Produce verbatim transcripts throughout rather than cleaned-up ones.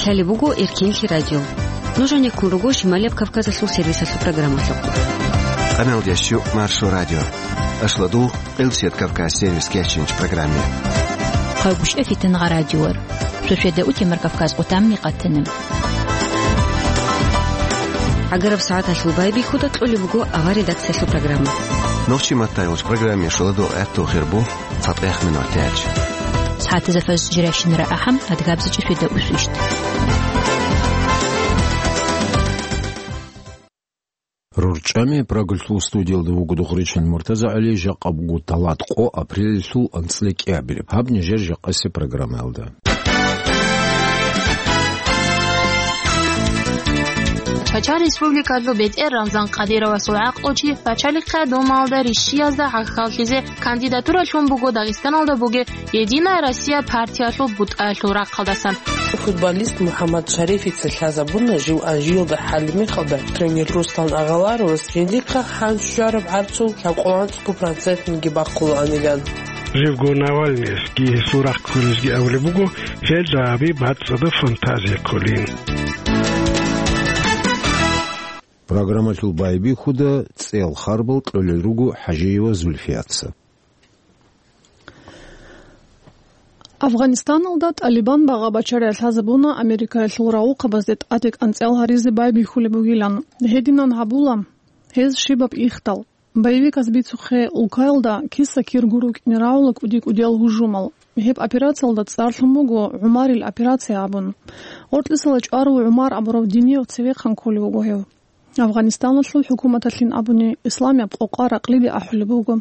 Лъалеб буго Эркенлъи радио. Нуж гьанеккун руго Шималияб Кавказалъул сервисалъул программалъухъ. Къаналдияс чу Маршо радио. Ашладул Къилсият Кавказ сервис кечинч программе. Хъагушев Фитнагъа радиор. Шошеда утемар Кавказ къутамни къатана. ГӀагараб сагӀаталъул байбихьуда кьолеб буго авар редакциялъул программа. Нохчи маттайолч программе шоладо гӀатту хирбу. ЦатӀехъ минутач. СагӀатазда фаз жиращинара ахӀам, адгабзичӀи шуьда усвищт. РорчӀами Прагалъул студиялда вуго Духричил МуртазагӀали, жакъа буго талат къо апрелалъул анцӀила кӀиабилеб. Гьаб нижер жакъасеб программаялда. Чачан Республикалъул бетӀер Рамзан Къадировасул гӀакълучи Пачалихъа Думаялда ришшиязда гӀахьаллъизе кандидатура лъун буго Дагъистаналда бугеб «Единая Россия» партиялъул бутӀаялъул рахъалдасан. Футболист МухӀаммад Шарифица лъазабуна жив Анжиялда хӀалимехалда тренер Руслан Агъаларовас гьедихъа хӀанчӀ щвараб гӀарцул лъабкъоялда цо процентниги бахъулаанилан. Живго Навальныясги гьесул рахъ кколезги абулеб буго, гьелда гьабе бацӀцӀадаб фантазия кколин. Программалъул байбихьуда цӀел харбал кьолел руго ХӀажиева Зульфияца. Афганистаналда ТӀалибан багъа-бачарай лъазабуна Америкаялъул рагъухъабазде тӀаде кӀанцӀал гьаризе байбихьулеб бугилан. Гьединан гьабула гьез щибаб ихдал. Боевиказ бицухъе улкаялда киса-кирго рукӀине рагӀула кӀуди-кӀудиял гьужумал. Гьеб операциялда цӀарлъун буго ГӀумарил операция абун. Ортлъисала чӀварав ГӀумар абурав динияв цевехъан кколев вуго гьев. Афганистаналъул хӀукуматалъин абуни, исламияб къокъа ракълиде ахӀулеб буго.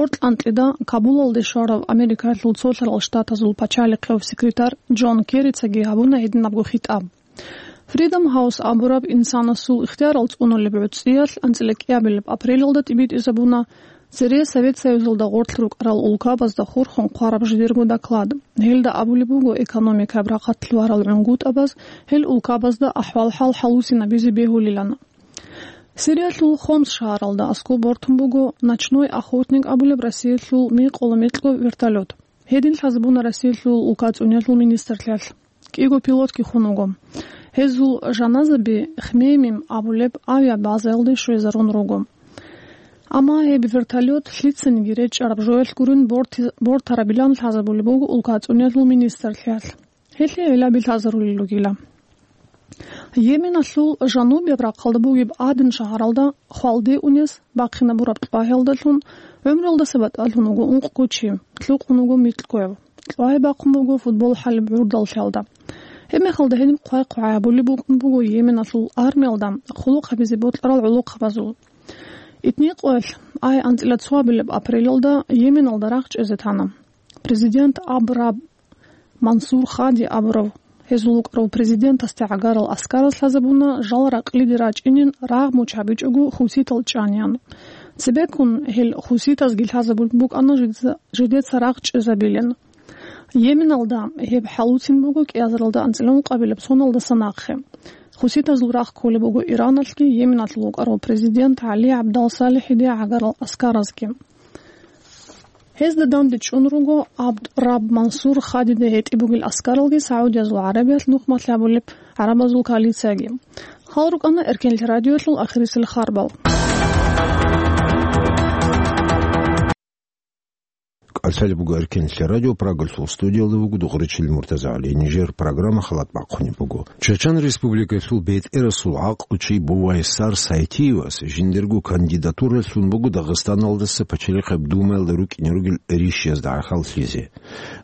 Ортлъанкьида Кабулалде щварав Америкаялъул Цолъарал Штатазул пачалихъев секретарь Джон Керрицаги гьабуна гьединабго хитӀаб. Freedom House абураб инсанасул ихтиярал цӀунулеб гӀуцӀиялъ анцӀила кӀиабилеб апрелалда тӀибитӀизабуна цере Совет Союзалда гъорлъ рукӀарал улкабазда хурхун хъвараб жидерго доклад. Гьелда абулеб буго экономикаяб рахъалъ варал гӀунгутӀабаз гьел улкабазда ахӀвал-хӀал хӀалусинабизе бегьулилан. Сириялъул Хомс шагьаралда аскӀоб бортун буго «Ночной охотник» абулеб Россиялъул микъула-микьго вертолет. Гьедин лъазабуна Россиялъул улкацӀунелъул министрлъиялъ. КӀиго пилотги хун вуго. Гьезул жаназаби Хмеймим абулеб авиабазаялде щвезарун руго. Амма гьеб вертолет лъицаниги речӀчӀараб жоялъ гурин борти-, бортарабилан лъазабулеб буго улкацӀунелъул министрлъиялъ. Гьелъие гӀиллаби лъазарулел ругила. Йеменалъул жанубияб рахъалда бугеб Аден шагьаралда хвалде унес бахъинабураб кьвагьалдалъун гӀумруялдаса батӀалъун вуго ункъго чи, лъукъун вуго микьгояв. Кьвагьи бахъун буго футбол хӀалеб гӀурдаллъиялда. Гьебмехалда гьедин хъвай-хъвай гьабулеб букӀун буго Йеменалъул армиялда хъулухъ гьабизе бокьарал гӀолохъабазул. Итникъоялъ ай анцӀила цоабилеб апрелалда Йеменалда рагъ чӀезе тана. Президент Аб Раб Мансур Хади абурав, гьезул вукӀарав президентасде гӀагарал аскараз лъазабуна жал ракълиде рачӀинин рагъ муч гьабичӀого хуситал чӀаниян. Цебеккун гьел хуситазги лъазабулеб букӀана жидеца, жидеца рагъ чӀезабилин. Йеменалда гьеб хӀалуцин буго кӀиазаралда анцӀила ункъабилеб соналдаса нахъе. Хуситазул рагъ кколеб буго Ираналъги Йеменалъул вукӀарав президент ГӀали ГӀабдал-СалихӀиде гӀагарал аскаразги. Гьезда данде чӀун руго Абд Раб Мансур Хадида гьетӀи бугел аскаралги Саудиязул ГӀарабиялъ нухмалъ гьабулеб гӀарабазул коалицияги. Гьал рукӀана Эркенлъи радиоялъул ахирисел харбал. КӀалъалеб буго Эркенлъи радио, Прагалъул студиялда вуго Духричил МуртазагӀали. Нижер программа халат бахъунеб буго. Чачан Республикалъул бетӀерасул гӀакълучи Бувайсар Сайтиевас жиндирго кандидатура лъун буго Дагъистаналдаса Пачалихъаб Думаялда рукӀине ругел ришшиязда гӀахьаллъизе.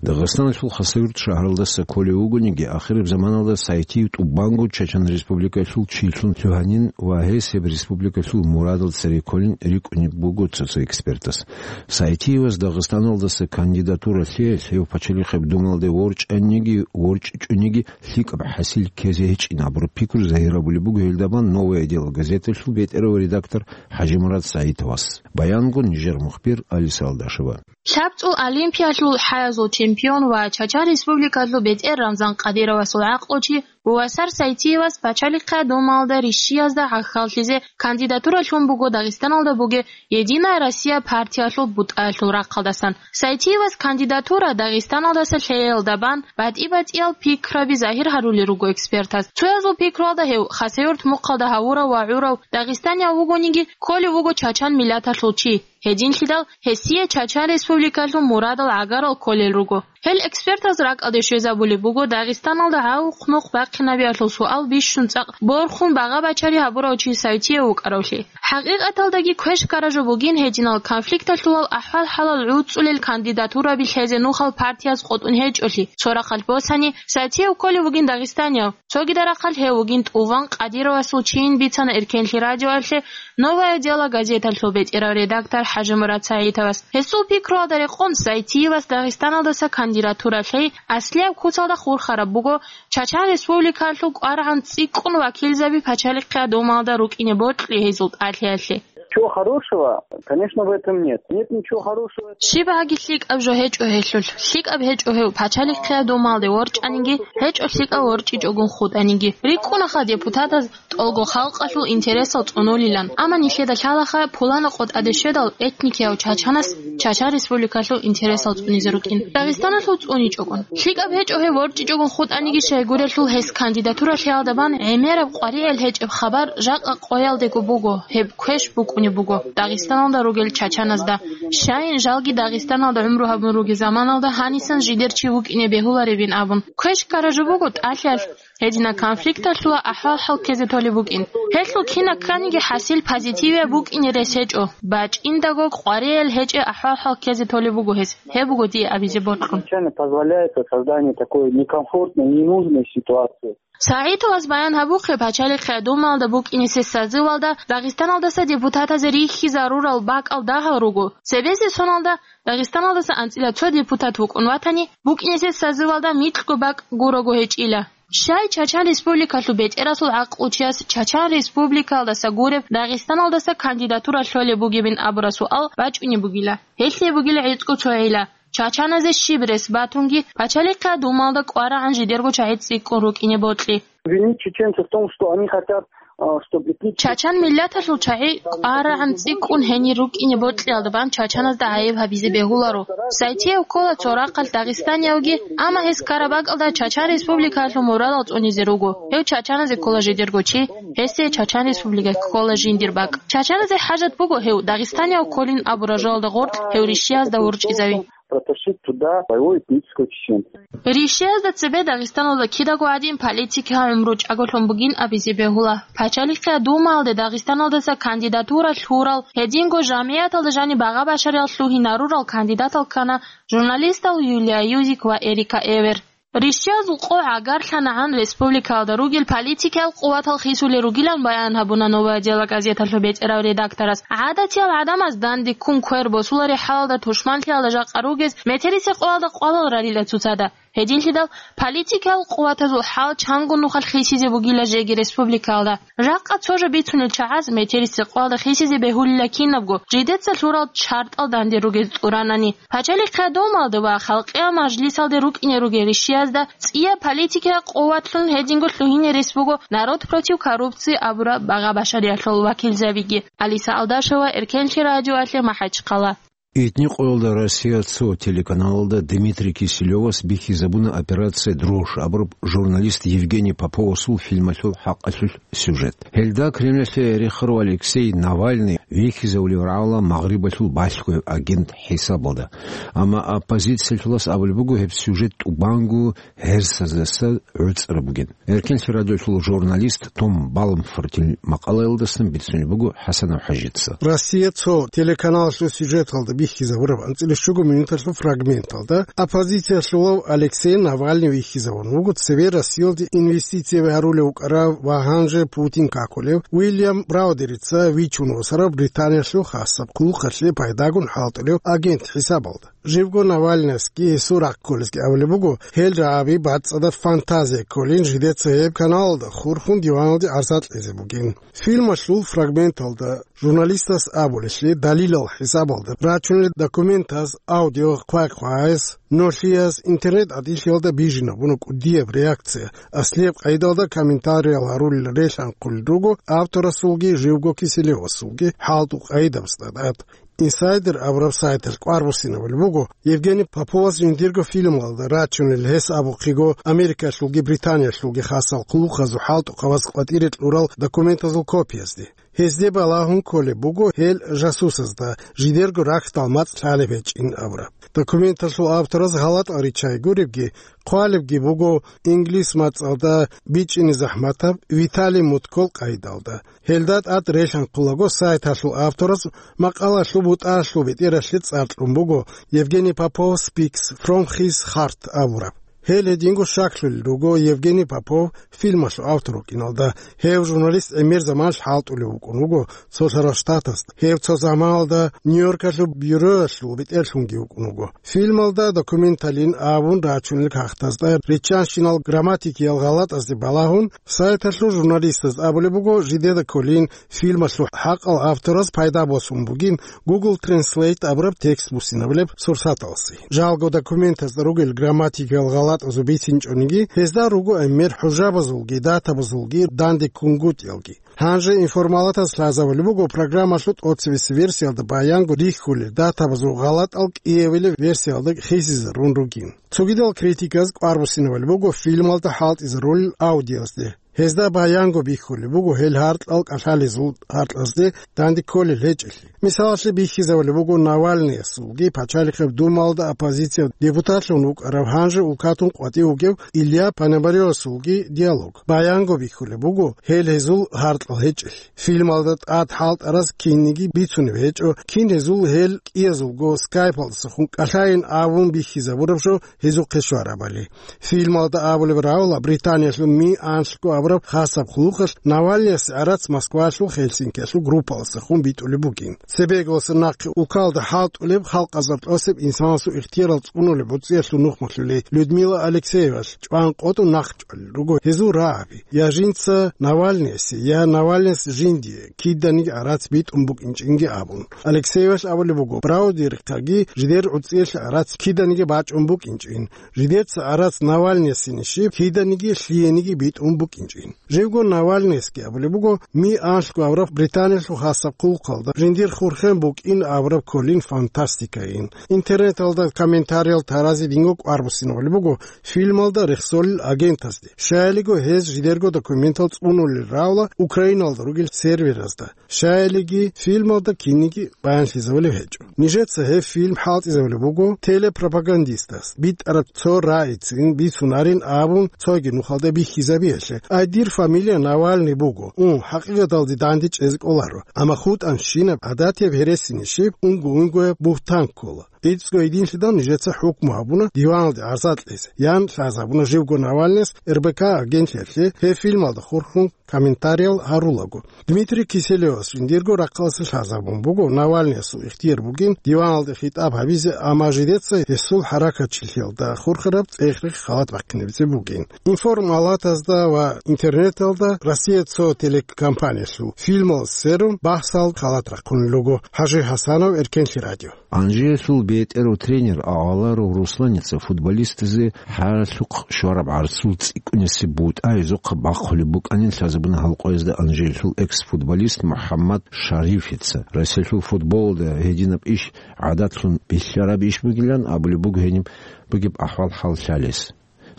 Дагъистаналъул Хасавюрт шагьаралдаса кколев вугониги, ахираб заманалда Сайтиев тӀубанго Чачан Республикалъул чилъун лъугьанин ва гьес гьеб республикалъул мурадал цере кколин рикӀкӀунеб буго цо-цо экспертас. Сайтиевас Дагъистаналдаса кандидатура лъеялъ гьев Пачалихъаб Думаялде ворчӀаниги, ворчӀичӀониги лъикӀаб хӀасил ккезе гьечӀин абураб пикру загьирабулеб буго гьелдабан «Новое дело» газеталъул бетӀерав редактор ХӀажимурад Саитовас. Баянго нижер мухбир Алиса Алдашева. ЛъабцӀул Олимпиялъул хӀаязул чемпион ва Чачан Республикалъул бетӀер Рамзан Къадировасул гӀакълучи Увасар Сайтиевас Пачалихъа Думаялда рищиязда гӀахьаллъизе кандидатура лъун буго Дагъистаналда бугеб «Единая Россия» партиялъул бутӀаялъул рахъалдасан. Сайтиевас кандидатура Дагъистаналдаса лъеялда бан батӀи-батӀиял пикраби загьир гьарулел руго экспертаз. Цоязул пикруялда гьев Хасавюрт мухъалда гьавурав ва гӀурав дагъистанияв вугониги, кколев вуго чачан миллаталъул чи. Гьединлъидал гьесие Чачан Республикалъул мурадал гӀагарал кколел руго. Гьел экспертаз ракӀалде щвезабулеб буго Дагъистаналда гьавухъ нух бахъинабиялъул суал бищун цӀакъ борхун багъа-бачари гьабурав чи Сайтиев вукӀаравлъи. ХӀакъикъаталдаги квеш-ккара жо бугин гьединал конфликталъулал ахӀвал-хӀалал гӀуцӀулел кандидатураби лъезе нухал партияз къотӀун гьечӀолъи. Цо рахъалъ босани, Сайтиев кколев вугин дагъистанияв, цогида рахъалъ гьев вугин тӀуван Къадировасул чийин бицана Эркенлъи радиоялъе «Новое дело» газеталъул бетӀерав редактор ХӀажимурад СагӀитовас. Гьесул пикруялда рекъон, Сайтиевас Дагъистаналдаса кандидатура лъей аслияб куцалда хурхараб буго Чачан Республикалъул кӀварагӀан цӀикӀкӀун вакилзаби Пачалихъа Думаялда рукӀине бокьи гьезул тӀалъиялъе. Ничего хорошего, конечно, в этом нет. Нет ничего хорошего. Щибаги лъикӀаб жо гьечӀо гьелъулъ. ЛъикӀаб гьечӀо гьев Пачалихъа Думаялде ворчӀаниги, гьечӀо лъикӀав ворчӀичӀогун хутӀаниги. РикӀкӀунаха депутатаз тӀолго халкъалъул интересал цӀунулилан, амма нилъеда лъалаха пуланаб къотӀаде щведал этникияв чачанас Чачан Республикалъул интересал цӀунизе рукӀин, Дагъистаналъул цӀуничӀогун. ЛъикӀаб гьечӀо гьев ворчӀичӀогун хутӀаниги, щайгурелъул гьес кандидатура лъеялда бан гӀемераб къваригӀел гьечӀеб хабар жакъа къоялдего буго, гьеб квеш букӀунеб буго Дагъистаналда ругел чачаназда. Щайин жалги Дагъистаналда гӀумру гьабун ругел заманалда гьанисан жидер чи вукӀине бегьуларебин абун. Квеш-ккара жо буго тӀалъиялъ гьединаб конфликталъула ахӀвал-хӀал ккезе толеб букӀин. Гьелъул кинаб кканиги хӀасил позитивияб букӀине рес гьечӀо, бачӀиндаго къваригӀел гьечӀеб ахӀвал-хӀал ккезе толеб буго гьес. Гьеб буго дие абизе бокьун. Изначально позволяется создание такой некомфортной, ненужной ситуации. СагӀитовас баян гьабухъе, Пачалихъа Думаялда букӀинисе созывалда Дагъистаналдаса депутатазе рихьизарурал бакӀал дагьал руго. Цебесеб соналда Дагъистаналдаса анцӀила цо депутат вукӀун ватани, букӀинисе созывалда микьго бакӀ гурого гьечӀила. Щай Чачан Республикалъул бетӀерасул гӀакълучияс Чачан Республикалдаса гуреб Дагъистаналдаса кандидатура лъолеб бугебин абураб суал бачӀунеб бугила. Гьелъие бугила гӀицӀго цо гӀилла. Чачаназе щиб рес батунги, Пачалихъа Думаялда кӀварагӀан жидерго чагӀи цӀикӀкӀун рукӀине бокьи. Винить чеченцев в том, что они хотят, а, чтобы этнические... Чачан миллаталъул чагӀи кӀварагӀан цӀикӀкӀун гьенир рукӀине бокьиялда бан чачаназда гӀайиб гьабизе бегьуларо. Сайтиев ккола цо рахъалъ дагъистаниявги, амма гьес ккараб бакӀалда Чачан Республикалъул мурадал цӀунизе руго. Гьев чачаназе ккола жидерго чи, гьесие Чачан Республикаялъ ккола жиндир бакӀ. Чачаназе хӀажат буго гьев дагъистанияв кколин абураб жоялда гъоркь гьев рищиязда ворчӀизави. Протащить туда своего этнического чеченца. Рищиязда цебе Дагъистаналда кидаго гӀадин политикиял гӀумру чӀаголъун бугин абизе бегьула. Пачалихъа Думаялде Дагъистаналдаса кандидатура лъурал, гьединго жамгӀияталда жаниб багъа-башариялъ лъугьинарурал кандидатал ккана журналистал Юлия Юзик ва Эрика Эвер. Рищиязул къо гӀагарлъанагӀан республикаялда ругел политикиял къуватал хисулел ругилан баян гьабуна «Новое дело» газеталъул бетӀерав редакторас. ГӀадатиял гӀадамаз данде ккун квер босулареб хӀалалда тушманлъиялда жакъа ругез метерисеб къоялда къвалал рарила цоцазда. Гьединлъидал политикиял къуватазул хӀал чанго нухалъ хисизе бугила жеги республикаялда. Жакъа цо жо бицунел чагӀаз метерисеб къоялда хисизе бегьулила кинабго, жидеца лъурал чартӀал данде ругез тӀуранани. Пачалихъа Думаялда ва Халкъиял Мажлисалде рукӀине ругел рищиязда цӀияб политикиял къуватлъун гьединго лъугьине рес буго «Народ против коррупции» абураб багъа-башариялъул вакилзабиги. Алиса Алдашева, Эркенлъи радиоялъе, МахӀачхъала. Итни къоялда «Россия цо» телеканалалда Дмитрий Киселевас бихьизабуна «Операция Дрожь» абураб журналист Евгений Поповасул фильмалъул хӀакъалъулъ сюжет. Гьелда Кремльалъе рехарав Алексей Навальный вихьизавулев рагӀула Магърибалъул балъгояб агент хӀисабалда. Амма оппозициялъулас абулеб буго, гьеб сюжет тӀубанго гьерсаздаса гӀуцӀараб бугин. Эркенлъи радиолъул журналист Том Балмфортил макъалаялдасан бицунеб буго ХӀасанов ХӀажица. «Россия цо» телеканалалъул сюжеталда бихьизабураб анцӀила щуго минуталъул фрагменталда оппозициялъулав Алексей Навальный вихьизавун вуго цеве Россиялде инвестицияби гьарулев вукӀарав ва гьанже Путин какулев Уильям Браудерица вичун восарав Британиялъул хасаб хъулухъалъе пайдагун хӀалтӀулев агент хӀисабалда. Живго Навальныясги гьесул рахъ кколесги абулеб буго, гьел рагӀаби бацӀцӀадаб фантазия кколин жидеца гьеб каналалда хурхун диваналде гӀарза кьезе бугин. Фильмалъул фрагменталда журналистас абулелъе далилал хӀисабалда рачунел документаз аудио хъвай-хъваяс, нолъиялъ интернет гӀадинлъиялда бижинабуна кӀудияб реакция, аслияб къайдалда комментариял гьарулел релъанхъулел руго авторасулги Живго Киселевасулги хӀалтӀу къайдаб стадат. Инсайдер абураб сайталъ кӀвар буссинабулеб буго Евгений Поповас жиндирго фильмалда рачунел, гьес абухъего Америкалъулги Британиялъулги хасал хъулухъазул хӀалтӀухъабаз къватӀире кьурал документазул копиязде. Гьезде балагьун кколеб буго гьел жасусазда жидерго рахьдал мацӀ лъалеб гьечӀин абураб. Документалъул автораз гьалатӀал риччай гуребги, хъвалебги буго инглис мацӀалда бичӀчӀине захӀматаб Виталий Муткол къайдалда. Гьелда тӀад релъанхъулаго сайталъул авторас макъалалъул бутӀалъул бетӀералъе цӀар кьун буго Евгений Попов Speaks from His Heart абураб. Гьел гьединго щаклъулел руго Евгений Попов фильмалъул автор вукӀиналда. Гьев журналист гӀемер заманалъ хӀалтӀулев вукӀун вуго Цолъарал Штатазда. Гьев цо заманалда Нью-Йоркалъул бюроялъул бетӀерлъунги вукӀун вуго. Фильмалда документалин абун рачунел кагътазда риччанщинал грамматикиял гъалатӀазде балагьун, сайталъул журналистаз абулеб буго, жидеда кколин фильмалъул хӀакъал автораз пайда босун бугин Google Translate абураб текст буссинабулеб сурсаталъе. Жалго документазда ругел грамматикиял гъалатӀазул бицинчӀониги, гьезда руго гӀемер хӀужабазулги датабазулги данде ккунгутӀиялги. Гьанже информалатаз лъазабулеб буго программалъул тӀоцебесеб версиялда баянго рихьулел датабазул гъалатӀал кӀиабилеб версиялда хисизарун ругин. Цогидал критиказ кӀвар буссинабулеб буго фильмалда хӀалтӀизарулел аудиозде. Гьезда баянго бихьулеб буго гьел гьаркьал кӀалъалезул гьаркьазде данде кколел гьечӀелъи. Мисалалъе бихьизабулеб буго Навальныясулги пачалихъеб Думалда оппозициялъул депутатлъун вукӀарав, гьанже улкатун къватӀив вугев Илья Пономаревасулги диалог. Баянго бихьулеб буго гьел гьезул гьаркьал гьечӀелъи. Фильмалда тӀад хӀалтӀараз кинниги бицунеб гьечӀо, кин гьезул гьел кӀиязулго скайпалдасахун кӀалъайин абун бихьизабураб жо гьезухъе щварабали. Фильмалда абулеб равла, Британиялъул Ми анлъго абураб хасаб хъулухъалъ Навальныясе гӀарац Москвалъул Хельсинкиялъул группалдасахун битӀулеб бугин. Цебеголъа нахъе улкалда хӀалтӀулеб халкъазул тӀосеб инсанасул ихтиярал цӀунулеб гӀуцӀиялъул нухмалъулей Людмила Алексеевалъ чӀван къотӀун нахъчӀвалел руго гьезул рагӀаби: я жинца Навальныясе, я Навальныяс жиндие киданиги гӀарац битӀун букӀинчӀинги абун. Алексеевалъ абулеб буго, Браудерихъаги жидер гӀуцӀиялъе гӀарац киданиги бачӀун букӀинчӀин. Жидеца гӀарац Навальныясинищ, киданиги лъиениги битӀун букӀинчӀин. Живго Навальныясги абулеб буго, Ми анлъго абураб Британиялъул хасаб хъулухъалда жиндир хурхен букӀин абураб кколин фантастикайин. Интернеталда комментариял таразе динго кӀвар буссинабулеб буго фильмалда рехсолел агентазде. Щаялиго гьез жидерго документал цӀунулел равла Украиналда ругел серверазда. Щаялиги фильмалда кинниги баянлъизабулеб гьечӀо. Нижеца гьеб фильм хӀалтӀизабулеб буго телепропагандистас битӀараб цо рагӀицин бицунарин абун цоги нухалда бихьизабиялъе. Ай, дир фамилия Навальный буго. Ун, хӀакъикъаталде данде чӀезе кӀоларо. Амма хутӀанщинаб гӀадатияб гьересинищ, унго-унгояб бугьтан ккола. ГӀицӀго гьединлъидал нижеца хӀукму гьабуна диваналде гӀарза кьезе, ян лъазабуна живго Навальныяс РБК агентлъиялъе гьеб фильмалда хурхун комментариял гьарулаго. Дмитрий Киселевас жиндирго рахъалъе лъазабун буго, Навальныясул ихтияр бугин диваналде хитӀаб гьабизе, амма жидеца гьесул хӀаракатчилъиялда хурхараб цӀех-рех халат бахъинабизе бугин. Информалатазда ва интернеталда Россия цо телекомпаниялъул фильмал сверун бахсал халат рахъунел руго. ХӀажи ХӀасанов, Эркенлъи радио. Анжиялъул бетӀерав тренер Агъаларов Русланица футболистазе хӀалалъухъ щвараб гӀарцул цӀикӀкӀунесеб бутӀа гьезухъа бахъулеб букӀанин лъазабуна гьал къоязда Анжиялъул экс-футболист МухӀаммад Шарифица. Россиялъул футболалда гьединаб иш гӀадатлъун бихьараб иш бугилан абулеб буго гьениб бугеб ахӀвал-хӀал лъалес.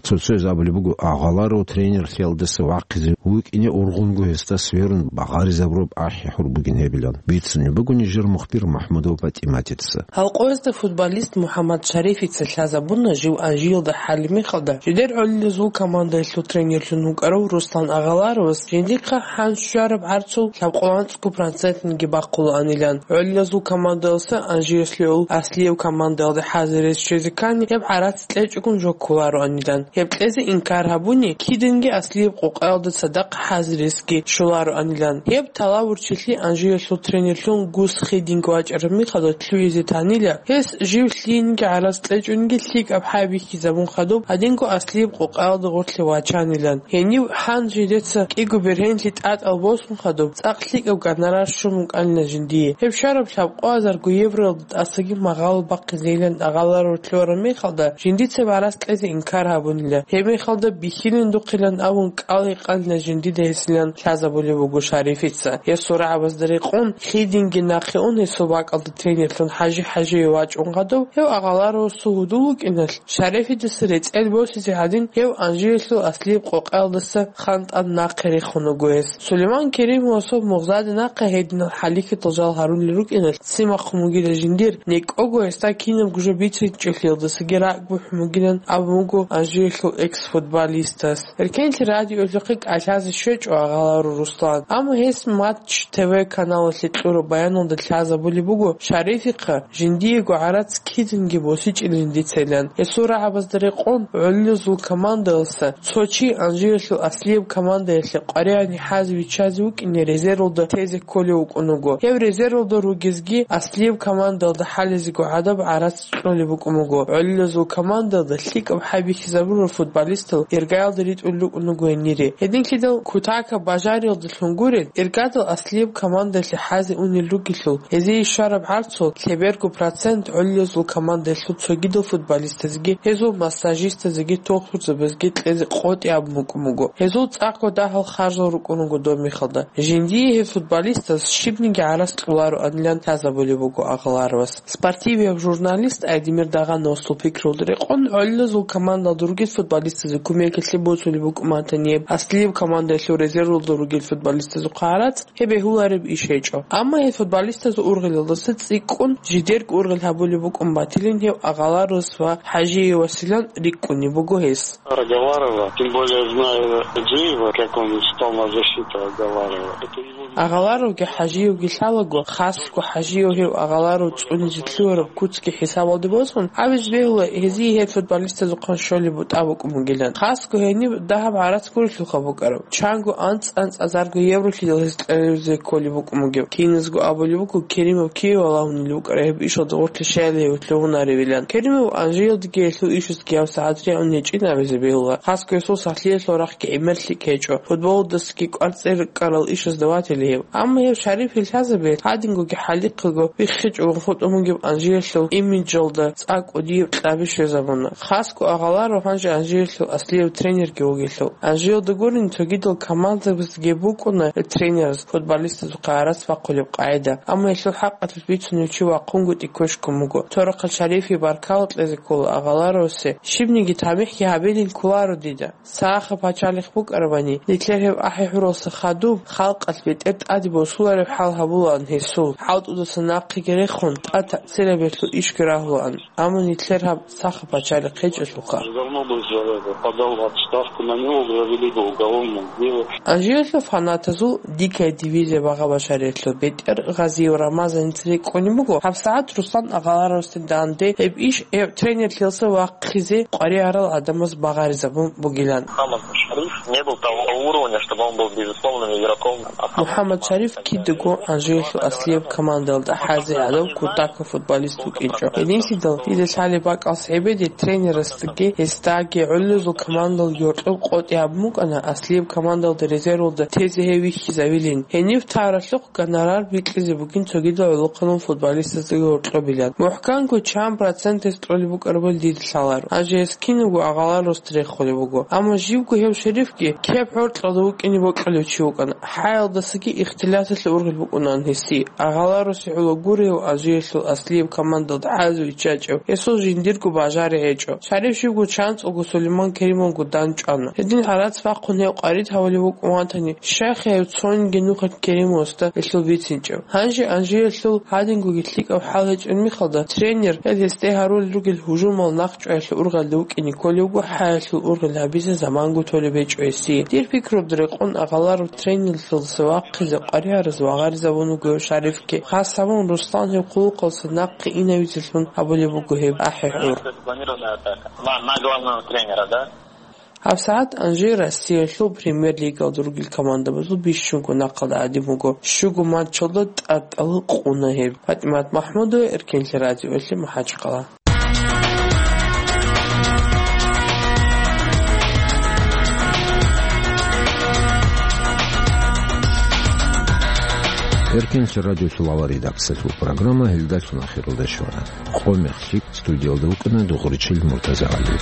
Цо-цояз абулеб буго, Агъаларов тренерлъиялдаса вахъизе вукӀине ургъунго гьесда сверун багъаризабураб ахӀи-хӀур бугин гьебилан. Бицунеб буго нижер мухбир МахӀмудова ПатӀиматица. Гьал къоязда футболист МухӀаммад Шарифица лъазабуна жив Анжиялда хӀалеб мехалда, жидер гӀолилазул командаялъул тренерлъун вукӀарав Руслан Агъаларовас жиндихъа хӀанз щвараб гӀарцул лъабкъоялда анцӀго процентниги бахъулаанилан. ГӀолилазул командаялъа Анжиялъул аслияб командаялде хӀазирез щвезе ккани, гьеб гӀарац кьечӀогун жо кколароанилан. Гьеб кьезе инкар гьабуни, кидинги Аслияб къокъаялда цадахъ хӀазиресги щолароанилан. Гьеб талавурчилъи Анжиялъул тренерлъун Гус Хидинг вачӀараб михалда лъугьизе танила, гьес жив лъиениги гӀарац кьечӀониги лъикӀаб хӀай бихьизабун хадуб, гьадинго Аслияб къокъаялда гъорлъе вачанилан. Гьенив гьанже дица кӀиго бергьенлъи тӀатӀал босун хадуб, цӀакъ лъикӀаб гонорар щун букӀанила жиндие. Гьеб щвараб лъабкъоязарго евроялда тӀасаги магъало бахъизейилан агъаларав лъугьараб мехалда, жиндица гӀарац кьезе инкар гьабунила. Гьеб мехалда бихьилин духъилан абун кӀал-гьекъанила жиндида гьесилан лъазабулеб буго Шарифица. Гьесул рагӀабазда рекъон, Хидинги нахъе ун гьесул бакӀалда тренерлъун ХӀажи ХӀажиев вачӀун хадуб, гьев агъаларавасул гьудул вукӀиналъ, Шарифидаса рецӀел босизе гьадин, гьев Анжиялъул Аслияб къокъаялдаса хантӀан нахъе рехун вуго гьес. Сулейман Керимовасул мугъзаде нахъе гьединал хӀалихьидал жал гьарулел рукӀиналъ, ццин бахъун бугила жиндир, некӀого гьесда кинабго жо бицинчӀелъиялдасаги ракӀ бухӀун бугилан абун буго Анжиялъул экс-футболистас. Эркенлъи радиоялъухъе кӀалъазе щвечӀо агъаларав Руслан, амма гьес Матч ТВ каналалъе кьураб баяналда лъазабулеб буго, Шарифихъа жиндиего гӀарац кидинги босичӀилин дицайилан. Гьесул рагӀабазда рекъон, гӀолилазул командаялъа цо чи Анжиялъул Аслияб командаялъе къваригӀани хӀазе виччазе вукӀине резервалда тезе кколев вукӀун вуго. Гьев резервалда ругезги Аслияб командаялда хӀалезего гӀадаб гӀарац кьолеб букӀун буго. ГӀолилазул командаялда лъикӀаб хӀай бихьизабурал футболистал иргаялда ритӀулел рукӀун буго гьенире. Гьединлъидал кутакаб бажариялдалъун гурел, иргадал Аслияб командаялъе хӀазе унел ругелъул, гьезие щвараб гӀарцул лъеберго процент гӀолилазул командаялъул цогидал футболистазеги, гьезул массажистазеги, тохтурзабазеги кьезе къотӀи абун букӀун буго. Гьезул цӀакъго дагьал харжал рукӀун руго доб мехалда. Жиндие гьеб футболистаз щибниги гӀарац кьолароанилан лъазабулеб буго агъаларовас. Спортивияб журналист Айдемир Дагъановасул пикруялда рекъон, гӀолилазул командалда ругел футболистазе кумекалъе босулеб букӀун батани, гьеб Аслияб командаялъул резервалда ругел футболистазухъа гӀарац, гьеб бегьулареб иш гьечӀо. Амма гьел футболистазул ургъелалдаса цӀикӀкӀун, жидерго ургъел гьабулеб букӀун батилин гьев агъаларовас ва ХӀажиевасилан рикӀкӀунеб буго гьес. Агаларова, тем более зная Хаджиева, как он встал на защиту Агаларова. Это его... Агъаларовги ХӀажиевги лъалаго, хасго ХӀажиев гьев агъаларов цӀунизе лъугьараб куцги хӀисабалде босун, гьабизе бегьула гьезие гьел футболистазухъан щолеб бутӀа букӀун бугилан. Хасго гьениб дагьаб гӀарац гурелъулха букӀараб. Чанго анцӀ-анцӀазарго евролъидал гьез кьезе кколеб букӀун бугеб. Киназго абулеб буго, Керимов киве валагьунел вукӀараб гьеб ишалда гъорлъе щайила гьев лъугьунаревилан. Керимов Анжиялдаги гьелъул ишазги гьабсагӀат регӀун гьечӀин абизе бегьула. Хасго гьесул сахлъиялъул рахъги гӀемер лъикӀ гьечӀо. Футболалдасаги кӀвар цӀер ккарал ишазда ватила гьев. Амма гьев Шарифил лъазабиялъ гьадингоги хӀалихъего биххичӀого хутӀун бугеб Анжиялъул имиджалда цӀакъ кӀудияб кьаби щвезабуна. Хасго агъаларав гьанже Анжиялъул аслияб тренерги вугелъул. Анжиялда гурин цогидал командабаздаги букӀуна тренераз футболистазухъа гӀарац бахъулеб къагӀида, амма гьелъул хӀакъалъулъ бицунев чи вахъунгутӀи кквешкун буго. Цо рахъалъ Шарифие баркала кьезе ккола агъаларовасе, щибниги тамихӀги гьабилин кколаро дида. Сахаб пачалихъ букӀарабани, нилъер гьев ахӀи-хӀуралса хадуб, халкъалъ бетӀер тӀаде босулареб хӀал гьабулаан гьесул, хӀалтӀудаса нахъеги рехун, тӀад цераберлъул ишги рагьулаан. Амма нилъер гьаб сахаб пачалихъ гьечӀелъулха. Давно бы уже подал в отставку, на него уже завели бы уголовное дело. Анжелалъул фанатазул «Дикая дивизия» багъа-башариялъул бетӀер Гъазиев Рамазаница рикӀкӀунеб буго, гьабсагӀат Руслан агъаларовасде данде гьеб иш гьев тренерлъиялса вахъизе къваригӀарал гӀадамаз багъаризабун бугилан. Хамад Шариф не был того уровня, чтобы он был безусловным игроком. МухӀаммад Шариф кидаго Анжелалъул аслияб командалда хӀазе гӀадав кутакаб футболист вукӀинчӀо. Гьединлъидал дида лъалеб бакӀалъ гӀебеде тренерасдаги гьесдаги гӀоллезул командал гьоркьоб къотӀи гьабун букӀана аслияб командалда резервалда тезе гьев вихьизавилин. Гьенив таралъухъ гонорар бикьизе бугин цогидал гӀолохъанал футболистаздаги гьоркьобилан. МухӀканго чан проценталъ кьолеб букӀарабали дида лъаларо. Гьанже гьес кинабго агъаларовасда рехулеб буго. Амма живго гьев Шарифги кеб гьоркьалда вукӀине бокьулев чи вукӀана. ХӀаялдасаги ихтилаталъе ургъел букӀунаан гьесие. Агъаларовасе гӀоло гурев Анжелалъул аслияб командалда хӀазе виччачӀев, гьесул жиндирго бажари гьечӀо. Шариф живго чанцӀулго Сулейман Керимовго дандчӀвана. Гьедин гӀарац бахъун гьев къварид гьавулев вукӀун ватани, щайха гьев цониги нухалъ Керимовасда гьелъул бицинчӀев? Гьанже Анжелалъул гьадингоги лъикӀаб хӀал гьечӀел мехалда, тренер гьел гьесде гьарулел ругел гьужумал нахъчӀваялъе ургъелде вукӀине кколевго хӀаялъул ургъел гьабизе заманго толеб гьечӀо гьесие. Дир пикруялда рекъон агъаларав тренерлъиялдаса вахъизе къваригӀараз вагъаризабун вуго гьев Шарифги. Хас гьабун Руслан гьев хъулухъалдаса нахъе инавизелъун гьабулеб буго гьеб ахӀи-хӀур. Запланированная атака. На, на главного тренера, да? ГьабсагӀат Анжи Россиялъул премьер-лигалда ругел командабазул бищунго нахъалда гӀадин буго. Щуго матчалда тӀатӀала къуна гьеб. ПатӀимат МахӀмудова, Эркенлъи радиоялъе МахӀачхъала. Эркенлъи радиолъул авал редакциялъул программа гьелдалъун ахиралде щвана. Къо мехлъи студиялда вукӀана Дугъричил МуртазагӀали.